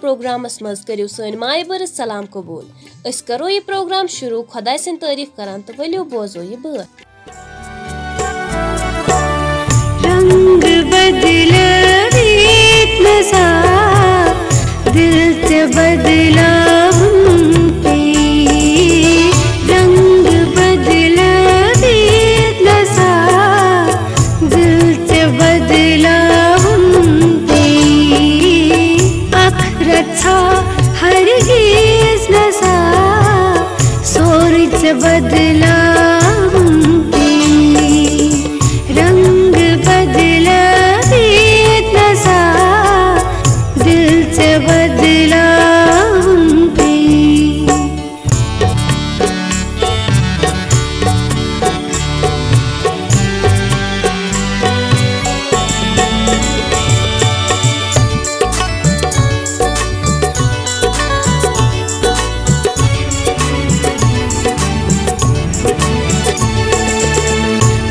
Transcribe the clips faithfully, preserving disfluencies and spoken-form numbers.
Programmes منٛز کٔرِو سٲنۍ مایہِ بٔرٕژ سلام قبوٗل۔ أسۍ کرو یہِ پروگرام شروع خۄداے سٕنٛدۍ تعریٖف کران تہٕ ؤلِو بوزو یہِ بٲتھ۔ رنگ بدلٲوِتھ نسا، دل ژےٚ بدلاوُن پیٚیہِ۔ رنگ بدلٲوِتھ نسا، دل ژےٚ بدلاوُن پیٚیہِ۔ اکھ رژھا ہرگیز نسا، سورُے ژےٚ بدلاوُن پیٚیہِ۔ رنگ بدلٲوِتھ نسا، دل ژےٚ بدلاوُن پیٚیہِ۔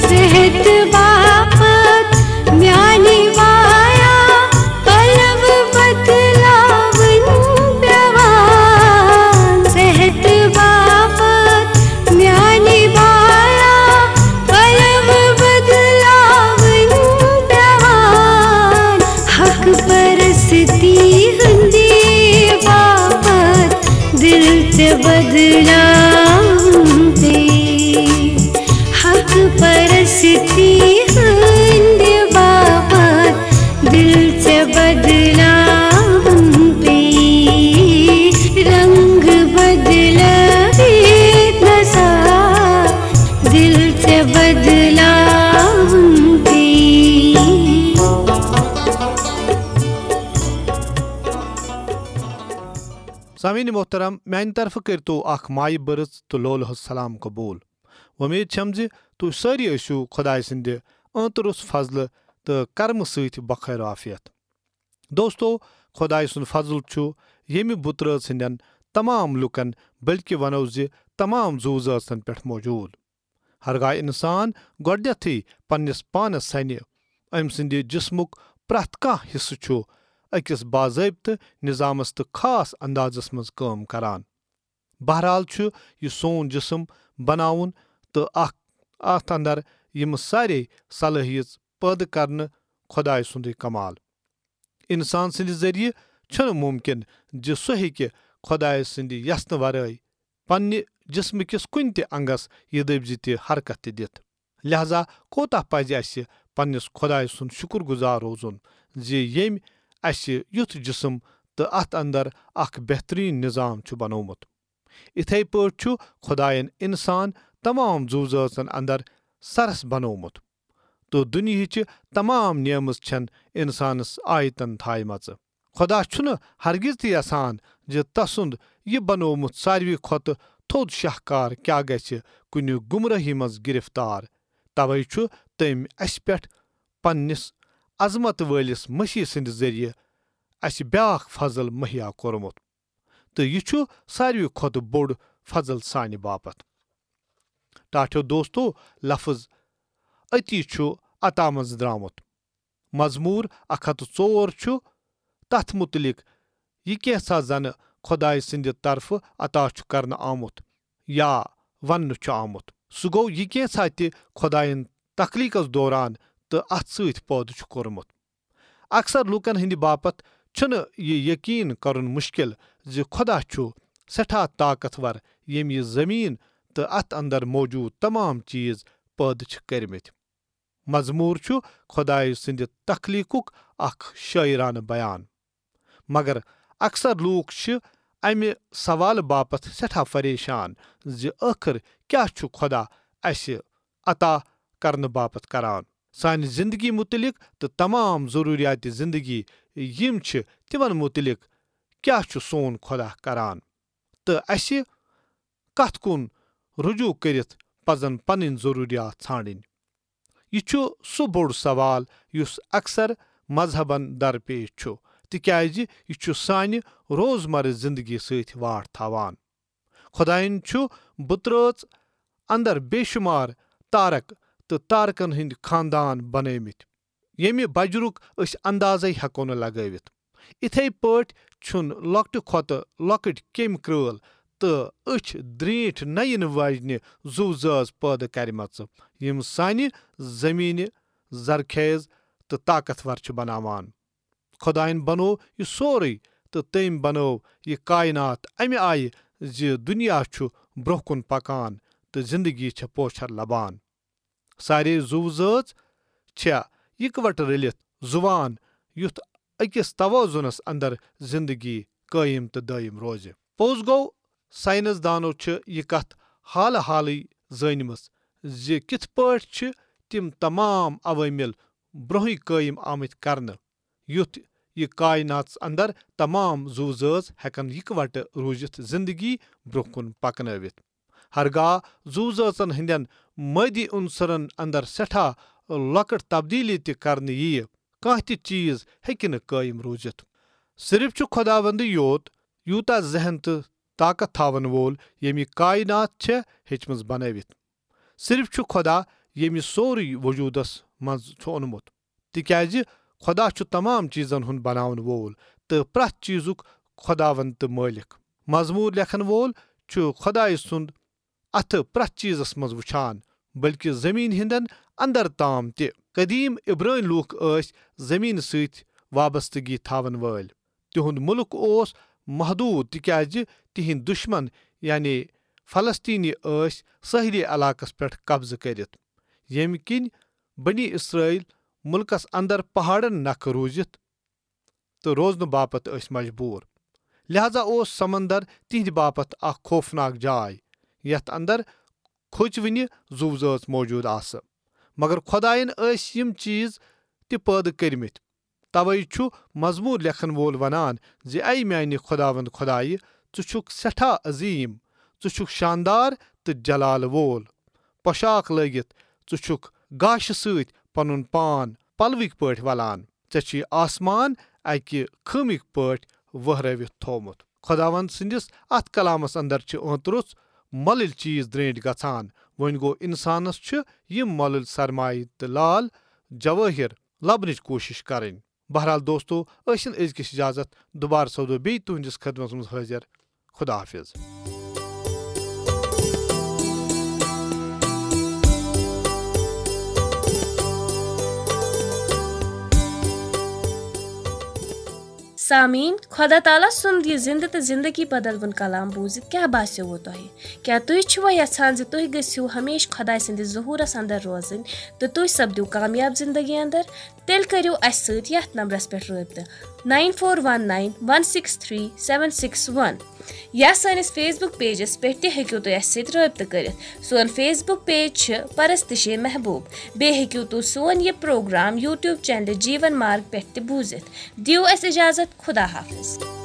صحت باپتھ میانہِ وایا، پلو بدلاوٕنۍ پیوان۔ صحت باپتھ میانہِ وایا، پلو بدلاوٕنۍ پیوان۔ حق پرستی ہٕنٛدِ باپتھ دل ژےٚ بدلاوُن پیٚیہِ۔ حق پرستی ہٕنٛدِ باپتھ دل ژےٚ بدلاوُن پیٚیہِ۔ رنگ بدلٲوِتھ نسا، دل ژےٚ بدلاوُن پیٚیہِ۔ سامعین محترم، میانہِ طرفہٕ کٔرۍتو اکھ مایہِ بٔرٕژ تہٕ لولہٕ ہٕنٛز سلام قبول۔ وۄمید چھم زِ تُہۍ سٲری ٲسِو خۄداے سٕنٛدِ ٲنٛتہٕ فضلہٕ تہٕ کرمہٕ سۭتۍ بخیر عافیت۔ دوستو، خۄداے سُنٛد فضل چھُ ییٚمہِ بُترٲژ ہٕنٛدٮ۪ن تمام لوٗکن، بلکہِ ونو زِ تمام زُو زٲژن پٮ۪ٹھ موجود۔ ہرگاہ انسان گۄڈنیتھٕے پننِس پانس سنہِ، أمۍ سٕنٛدِ جسمُک پرٛٮ۪تھ کانٛہہ حصہٕ چھُ أکِس باضٲبطہٕ نظامس تہٕ خاص اندازس منٛز کٲم کران۔ بہرحال چھُ یہِ سون جسم بناوُن تہٕ اکھ، اتھ اندر یِم سارے صلٲحیژ پٲدٕ کرنہٕ خۄداے سُنٛدُے کمال۔ انسان سٕنٛدِ ذٔریعہٕ چھُنہٕ مُمکِن زِ سُہ ہیٚکہِ خۄداے سٕنٛدِ یژھنہٕ ورٲے پننہِ جسمہٕ کِس کُنہِ تہِ انگس یہِ دٔپۍ زِ تہِ حرکت تہِ دِتھ۔ لہذا کوتاہ پزِ اسہِ پننِس خۄداے سُنٛد شُکر گُزار روزُن زِ ییٚمۍ اسہِ یُتھ جسم تہٕ اتھ اندر اکھ بہترین نظام چھُ بنوومُت۔ اِتھے پٲٹھۍ چھُ خۄدایَن انسان تمام زُو زٲژن اندر سرس بنوومُت، تہٕ دُنیہٕچہِ تمام نیمژ چھن انسانس آیتن تھایمژٕ۔ خۄدا چھُنہٕ ہرگز تہِ یژھان زِ تسُنٛد یہِ بنوومُت ساروی کھۄتہٕ تھوٚد شاہکار کیاہ گژھِ کُنہِ گمراہی منٛز گرفتار۔ توے چھُ تٔمۍ اسہِ پٮ۪ٹھ پننِس عظمت وٲلِس مسیح سٕنٛدِ ذٔریعہٕ اسہِ بیاکھ فضل مہیا کوٚرمُت۔ تہٕ یہِ چھُ ساروی کھۄتہٕ بوٚڑ فضل سانہِ باپتھ۔ ٹاٹھیو دوستو، لفظ اتی چھُ عطا منٛز درامُت۔ مزمور اکھ ہتھ تہٕ ژور چھُ تتھ متعلق، یہِ کینٛژھا زنہٕ خۄداے سٕنٛدِ طرفہٕ عطا چھُ کرنہٕ آمُت یا وننہٕ چھُ آمُت۔ سُہ گوٚو یہِ کینٛژھا تہِ خۄدایَن تخلیقس دوران تہٕ اتھ سۭتۍ پٲدٕ چھُ کوٚرمُت۔ اکثر لوٗکن ہٕنٛدِ باپتھ چھُنہٕ یہِ یقین کرُن مشکل زِ خۄدا چھُ سٮ۪ٹھاہ طاقتور، ییٚمۍ یہِ زمین تہٕ اتھ اندر موجود تمام چیز پٲدٕ چھِ کٔرمٕتۍ۔ مزمور چھُ خۄدایہِ سٕنٛدِ تخلیقُک اکھ شٲعرانہٕ بیان۔ مگر اکثر لوٗکھ چھِ امہِ سوالہٕ باپتھ سٮ۪ٹھاہ پریشان زِ ٲخٕر کیٛاہ چھُ خۄدا اسہِ عطا کرنہٕ باپتھ کران؟ سانہِ زندگی متعلق تہٕ تمام ضروریات زندگی یِم چھِ، تِمن متعلق کیٛاہ چھُ سون خۄدا کران؟ تہٕ اسہِ کتھ کُن رجوع کٔرِتھ پزن پنٕنۍ ضروریات ژھانڈٕنۍ؟ یہِ چھُ سُہ بوٚڑ سوال یُس اکثر مذہبن درپیش چھُ، تِکیازِ یہِ چھُ سانہِ روزمرٕ زندگی سۭتۍ واٹھ تھاوان۔ خۄدایَن چھُ بُترٲژ اندر بے شمار تارک تہٕ تارکن ہٕنٛدۍ خاندان بنٲومٕتۍ، ییٚمہِ بجرُک أسۍ اندازے ہٮ۪کو نہٕ لگٲوِتھ۔ اِتھے پٲٹھۍ چھُن لۄکٹہِ کھۄتہٕ لۄکٕٹۍ کیٚمۍ کرٛٲل تہٕ أچھ درٛیٖنٛٹھۍ نہ یِنہٕ واجنہِ زُو زٲژ پٲدٕ کرِمژٕ، یِم سانہِ زٔمیٖنہِ زرخیز تہٕ طاقتور چھِ بناوان۔ خۄدایَن بنوو یہِ سورُے، تہٕ تٔمۍ بنٲو یہِ کائنات اَمہِ آیہِ زِ دُنیا چھُ برٛونٛہہ کُن پکان تہٕ زندگی چھےٚ پوچھر لبان۔ سارے زُو زٲژ چھےٚ یِکوَٹہٕ رٔلِتھ زُوان، یُتھ أکِس توازنس اندر زندگی قٲیِم تہٕ دٲیِم روزِ۔ پوٚز گوٚو، ساینس دانو چھِ یہِ کتھ حالہٕ حالٕے زٲنمٕژ زِ کِتھ پٲٹھۍ چھِ تِم تمام عوٲمِل برونٛہٕے قٲیِم آمٕتۍ کرنہٕ، یُتھ یہِ کائناتس اندر تمام زُو زٲژ ہٮ۪کن یِکوَٹہٕ روٗزِتھ زندگی برونٛہہ کُن پکنٲوِتھ۔ ہرگاہ زُو زٲژن ہٕنٛدٮ۪ن مٲدی عنصرن اندر سٮ۪ٹھاہ لۄکٕٹ تبدیلی تہِ کرنہٕ یِیہِ، کانٛہہ تہِ چیز ہیٚکہِ نہٕ قٲیِم روٗزِتھ۔ صرف چھُ خۄداوندٕے یوت یوٗتاہ ذہن تہٕ طاقت تھاون وول، ییٚمہِ کائنات چھےٚ ہیٚچمٕژ بنٲوِتھ۔ صرف چھُ خۄدا، ییٚمہِ سورُے وجوٗدس منٛز چھُ اوٚنمُت، تِکیازِ خۄدا چھُ تمام چیزن ہُنٛد بناون وول تہٕ پرٛٮ۪تھ چیزُک خۄداوند تہٕ مٲلِک۔ مزمور لیکھن وول چھُ خۄدایہِ سُنٛد اتھٕ پرٛٮ۪تھ چیزس منٛز وُچھان، بلکہ زمین ہٕنٛدٮ۪ن اندر تام تہِ۔ قدیم عبرٲنۍ لوٗکھ ٲسۍ زمین سۭتۍ وابستگی تھاون وٲلۍ۔ تِہُنٛد مُلک اوس محدوٗد، تِکیازِ تِہنٛدۍ دُشمن، یعنی فلسطینی، ٲسۍ سٲحلی علاقس پٮ۪ٹھ قبضہٕ کٔرِتھ، ییٚمہِ کِنۍ بنی اسرائیل مُلکس اندر پہاڑن نکھٕ روٗزِتھ تہٕ روزنہٕ باپتھ ٲسۍ مجبوٗر۔ لہذا اوس سمندر تِہنٛدِ باپتھ اکھ خوفناک جاے، یتھ اندر کھوژوٕنہِ زُو زٲژ موجود آسہٕ۔ مگر خۄداین ٲسۍ یِم چیز تہِ پٲدٕ کٔرمٕتۍ۔ توے چھُ مزمور لیکھن وول ونان زِ، اے میانہِ خۄداوند خۄدایہِ، ژٕ چھُکھ سٮ۪ٹھاہ عظیم، ژٕ چھُکھ شاندار تہٕ جلال وول۔ پۄشاک لٲگِتھ ژٕ چھُکھ گاشہِ سۭتۍ پنُن پان پلوٕکۍ پٲٹھۍ ولان۔ ژےٚ چھُے آسمان اکہِ خۭمٕکۍ پٲٹھۍ وہرٲوِتھ تھوومُت۔ خۄداوند سٕنٛدِس اتھ کلامس اندر چھِ ٲنتہٕ روٚس مۄلٕلۍ چیز درینٹھۍ گژھان۔ وۄنۍ گوٚو، انسانس چھِ یِم مۄلٕلۍ سرمایہ تہٕ لال جوٲہر لبنٕچ کوٗشش کرٕنۍ۔ بہرحال دوستو، ٲسِن أزکِس اجازت، دُبارٕ سپدو بیٚیہِ تُہنٛدِس خدمتس منٛز حٲضِر۔ خدا حافظ۔ سامعیٖن، خۄدا تعالیٰ سُنٛد یہِ زِنٛدٕ تہٕ زِنٛدگی بدلوُن کلام بوٗزِتھ کیٛاہ باسیووٕ تۄہہِ؟ کیٛاہ تُہۍ چھِوا یژھان زِ تُہۍ گٔژھِو ہمیشہٕ خۄداے سٕنٛدِس ظہوٗرس اندر روزٕنۍ تہٕ تُہۍ سپدِو کامیاب زِنٛدگی اندر؟ تیٚلہِ کٔرِو اَسہِ سۭتۍ یَتھ نمبرَس پٮ۪ٹھ رٲبطہٕ، nine four one nine one six three seven six one۔ یا سٲنِس Facebook pageس پٮ۪ٹھ تہِ ہیٚکِو تُہۍ اَسہِ سۭتۍ رٲبطہٕ کٔرِتھ۔ سون Facebook page چھِ پرستشِ محبوب۔ بیٚیہِ ہیٚکِو تُہۍ سون یہِ پروگرام YouTube channel جیٖون مارگ پٮ۪ٹھ تہِ بوٗزِتھ۔ دِیِو اَسہِ اِجازت۔ خدا حافظ۔